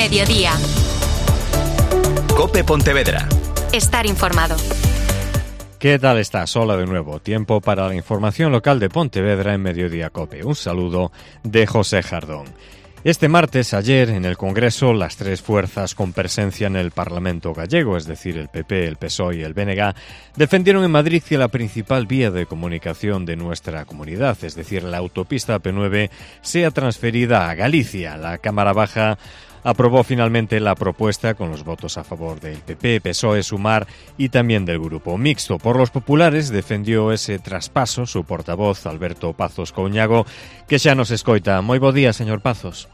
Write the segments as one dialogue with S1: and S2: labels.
S1: Mediodía.
S2: COPE Pontevedra.
S1: Estar informado.
S3: ¿Qué tal estás? Hola de nuevo. Tiempo para la información local de Pontevedra en Mediodía COPE. Un saludo de José Jardón. Este martes, ayer, en el Congreso, las tres fuerzas con presencia en el Parlamento gallego, es decir, el PP, el PSOE y el BNG, defendieron en Madrid que la principal vía de comunicación de nuestra comunidad, es decir, la autopista AP9, sea transferida a Galicia. La Cámara Baja aprobó finalmente la propuesta con los votos a favor del PP, PSOE, Sumar y también del Grupo Mixto. Por los populares defendió ese traspaso su portavoz Alberto Pazos Couñago, que xa nos escoita. Moi bo día, señor Pazos.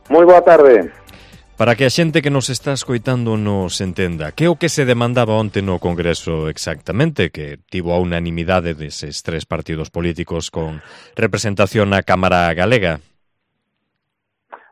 S4: Moi boa tarde.
S3: Para que a xente que nos está escoitando nos entenda, que é o que se demandaba onte no Congreso exactamente, que tivo a unanimidade deses tres partidos políticos con representación na Cámara Galega?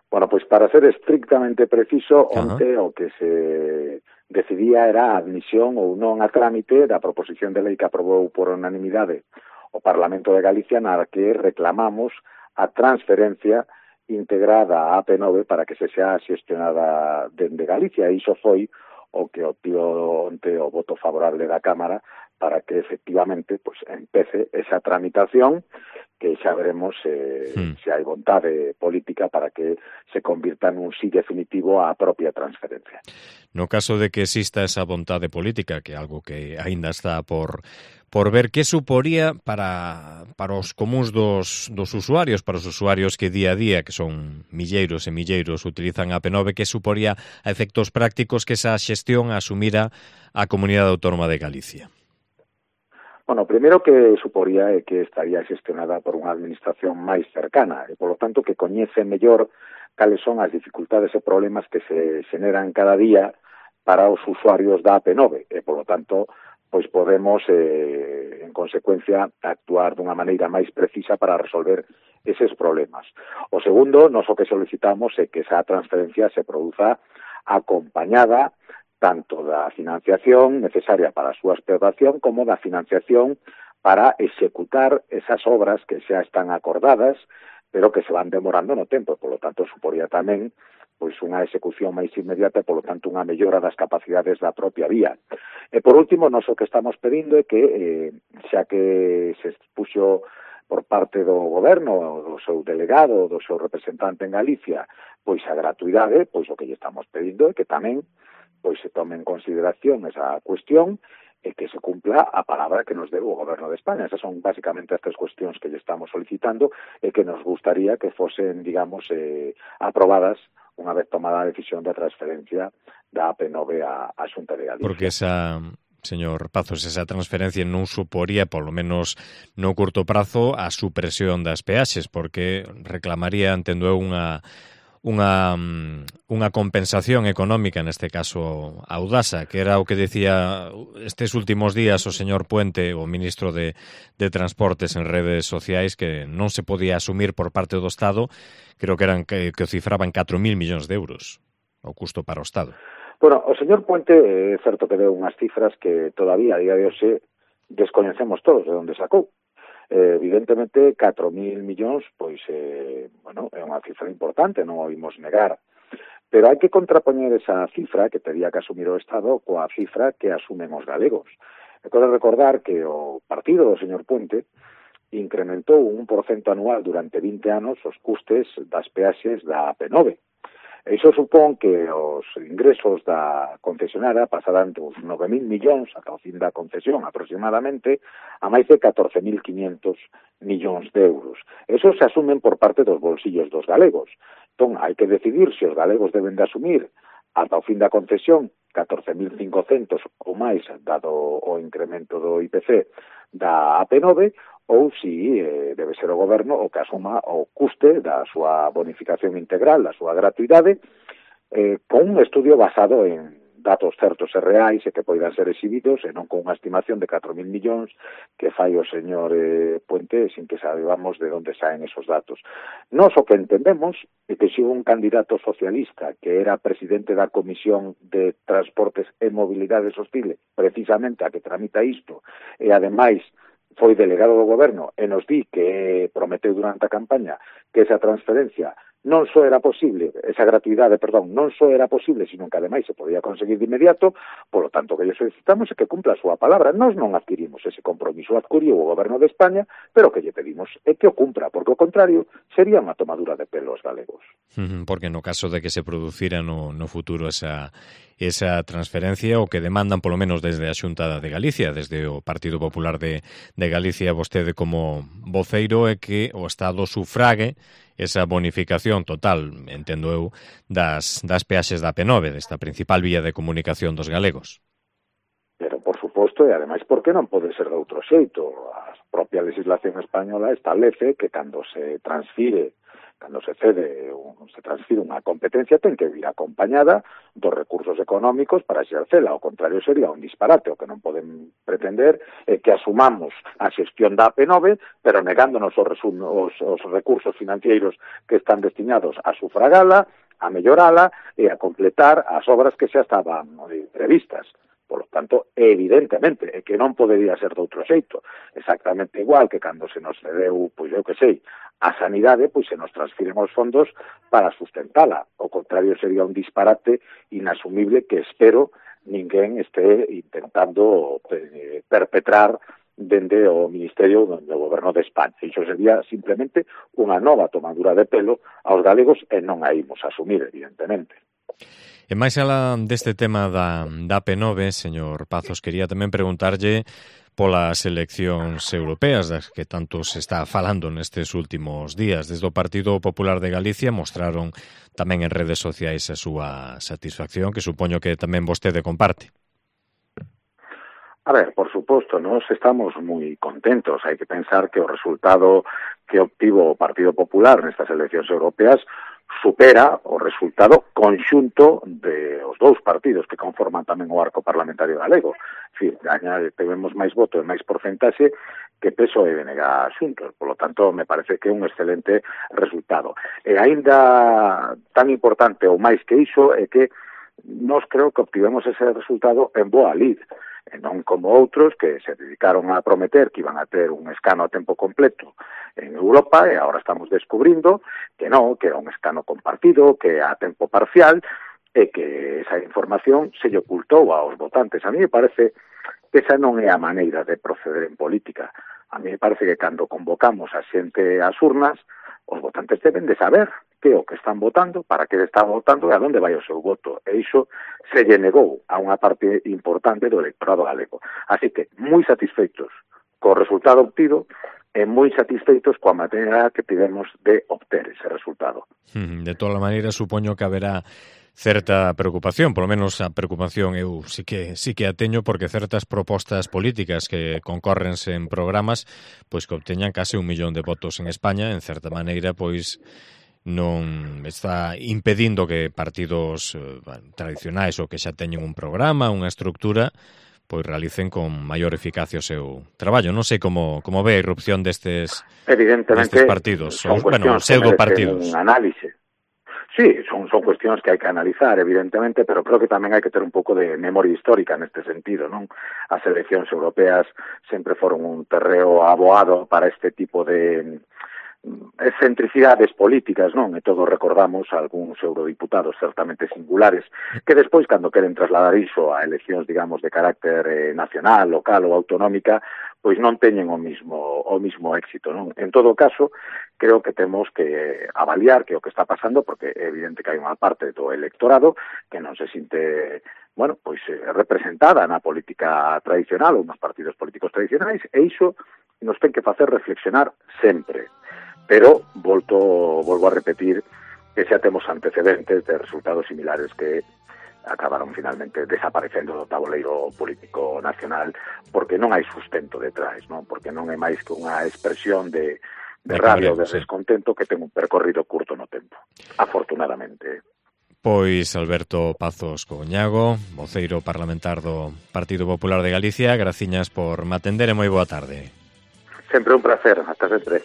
S4: Bueno, pois para ser estrictamente preciso, onte o que se decidía era a admisión ou non a trámite da proposición de lei que aprobou por unanimidade o Parlamento de Galicia, na que reclamamos a transferencia integrada a AP9 para que se xa xestionada dende Galicia. E iso foi o que obtivo onte o voto favorable da Cámara para que efectivamente pues empece esa tramitación, que xa veremos se hai vontade política para que se convirta nun sí definitivo á propia transferencia.
S3: No caso de que exista esa vontade política, que é algo que aínda está por ver, que suporía para os comuns dos usuarios, para os usuarios que día a día, que son milleiros e milleiros, utilizan a AP9, que suporía a efectos prácticos que esa xestión asumira a Comunidade Autónoma de Galicia?
S4: Bueno, o primeiro que suporía é que estaría xestionada por unha administración máis cercana e, polo tanto, que coñece mellor cales son as dificultades e problemas que se xeneran cada día para os usuarios da AP9 e, polo tanto, pois podemos, en consecuencia, actuar dunha maneira máis precisa para resolver eses problemas. O segundo, nós o que solicitamos é que esa transferencia se produza acompañada tanto da financiación necesaria para a súa explotación como da financiación para executar esas obras que xa están acordadas, pero que se van demorando no tempo, e, polo tanto, suporía tamén pois unha execución máis inmediata e, polo tanto, unha mellora das capacidades da propia vía. E, por último, nós o que estamos pedindo é que, xa que se expuxo por parte do goberno, do seu delegado, do seu representante en Galicia, pois a gratuidade, pois o que lle estamos pedindo é que tamén pois se tome en consideración esa cuestión e que se cumpla a palabra que nos debe o Goberno de España. Esas son basicamente as tres cuestións que lle estamos solicitando e que nos gustaría que fosen, digamos, aprobadas unha vez tomada a decisión de transferencia da AP9 á Xunta de Galicia.
S3: Porque esa, señor Pazos, esa transferencia non suporía, polo menos no curto prazo, a supresión das peaxes, porque reclamaría, entendo eu, unha compensación económica, neste caso a Audasa, que era o que decía estes últimos días o señor Puente, o ministro de Transportes, en redes sociais, que non se podía asumir por parte do Estado, creo que o cifraban 4.000 millóns de euros o custo para o Estado.
S4: Bueno, o señor Puente é certo que deu unhas cifras que todavía a día de hoxe descoñecemos todos de onde sacou. Evidentemente, 4.000 millóns, pois, bueno, é unha cifra importante, non o imos negar. Pero hai que contrapoñer esa cifra que tería que asumir o Estado coa cifra que asumen os galegos. E quero recordar que o partido do señor Puente incrementou un 1% anual durante 20 anos os custes das peaxes da AP9. Iso supón que os ingresos da concesionaria pasarán dos 9.000 millóns ata o fin da concesión aproximadamente a máis de 14.500 millóns de euros. Esos se asumen por parte dos bolsillos dos galegos. Entón, hai que decidir se os galegos deben de asumir ata o fin da concesión 14.500 ou máis dado o incremento do IPC da AP9 ou si debe ser o goberno o que asuma o custe da súa bonificación integral, da súa gratuidade, con un estudio basado en datos certos e reais e que poidan ser exhibidos e non con unha estimación de 4.000 millóns que fai o señor Puente sin que sabemos de onde saen esos datos. Nós o que entendemos é que se un candidato socialista que era presidente da Comisión de Transportes e Mobilidade Sostile, precisamente a que tramita isto, e ademais foi delegado do goberno e nos di que prometeu durante a campaña que esa transferencia non só era posible, esa gratuidade, perdón, non só era posible, sino que ademais se podía conseguir de inmediato, polo tanto que lle solicitamos é que cumpla a súa palabra. Nós non adquirimos ese compromiso, adquiriu o goberno de España, pero que lle pedimos é que o cumpra, porque o contrario sería unha tomadura de pelo aos galegos.
S3: Porque no caso de que se producira no futuro esa transferencia, o que demandan polo menos desde a Xunta de Galicia, desde o Partido Popular de Galicia, vostede como voceiro, é que o Estado sufrague esa bonificación total, entendo eu, das peaxes da P9, desta principal vía de comunicación dos galegos.
S4: Pero, por suposto, e ademais, por que non pode ser de outro xeito? A propia legislación española establece que cando se transfire, cando se cede, se transfire unha competencia, ten que vir acompañada dos recursos económicos para exercela. Ao contrario, sería un disparate. O que non poden pretender é que asumamos a xestión da AP9, pero negándonos os recursos financeiros que están destinados a sufragala, a mellorala e a completar as obras que xa estaban previstas. Por lo tanto, evidentemente, é que non podería ser de outro xeito. Exactamente igual que cando se nos cedeu, pois eu que sei, a sanidade, pois se nos transfiren os fondos para sustentala. O contrario, sería un disparate inasumible que espero ninguén este intentando perpetrar dende o Ministerio do Goberno de España. Iso sería simplemente unha nova tomadura de pelo aos galegos e non a imos asumir, evidentemente.
S3: E máis alá deste tema da P9, señor Pazos, quería tamén preguntarlle polas eleccións europeas das que tanto se está falando nestes últimos días. Desde o Partido Popular de Galicia mostraron tamén en redes sociais a súa satisfacción, que supoño que tamén vostede comparte.
S4: A ver, por suposto, nós estamos moi contentos. Hai que pensar que o resultado que obtivo o Partido Popular nestas eleccións europeas supera o resultado conxunto de os dous partidos que conforman tamén o arco parlamentario galego. En fin, temos máis voto e máis porcentaxe que PSOE e BNG xuntos. Por lo tanto, me parece que é un excelente resultado. E aínda tan importante ou máis que iso é que nós creo que obtivemos ese resultado en boa lid, e non como outros que se dedicaron a prometer que iban a ter un escano a tempo completo en Europa e agora estamos descubrindo que non, que era un escano compartido, que a tempo parcial e que esa información se lle ocultou aos votantes. A mí me parece que esa non é a maneira de proceder en política. A mí me parece que cando convocamos a xente ás urnas, os votantes deben de saber que o que están votando, para que están votando e a onde vai o seu voto. E iso se lle negou a unha parte importante do electorado galego. Así que, moi satisfeitos co resultado obtido e moi satisfeitos coa maneira que tivemos de obter ese resultado.
S3: De toda maneira, supoño que haberá certa preocupación, polo menos a preocupación eu sí que a teño, porque certas propostas políticas que concórrense en programas, pois que obteñan case 1 millón de votos en España, en certa maneira, pois non está impedindo que partidos tradicionais ou que xa teñen un programa, unha estructura, pois realicen con maior eficacia o seu traballo. Non sei como ve a irrupción destes partidos,
S4: son pseudo-partidos. Un análise. Sí, son cuestións que hai que analizar, evidentemente, pero creo que tamén hai que ter un pouco de memoria histórica neste sentido, non? As eleccións europeas sempre foron un terreo aboado para este tipo de excentricidades políticas, non? E todos recordamos algúns eurodiputados certamente singulares que despois, cando queren trasladar iso a eleccións, digamos, de carácter nacional, local ou autonómica, pois non teñen o mismo éxito, non? En todo caso, creo que temos que avaliar que o que está pasando, porque é evidente que hai unha parte do electorado que non se sinte, bueno, pois representada na política tradicional ou nos partidos políticos tradicionais, e iso nos ten que facer reflexionar sempre. Pero volvo a repetir que xa temos antecedentes de resultados similares que acabaron finalmente desaparecendo do tabuleiro político nacional porque non hai sustento detrás, non? Porque non é máis que unha expresión de rabia ou de descontento que ten un percorrido curto no tempo, afortunadamente.
S3: Pois Alberto Pazos Couñago, voceiro parlamentar do Partido Popular de Galicia, graciñas por me atender e moi boa tarde.
S4: Sempre un placer, hasta sempre.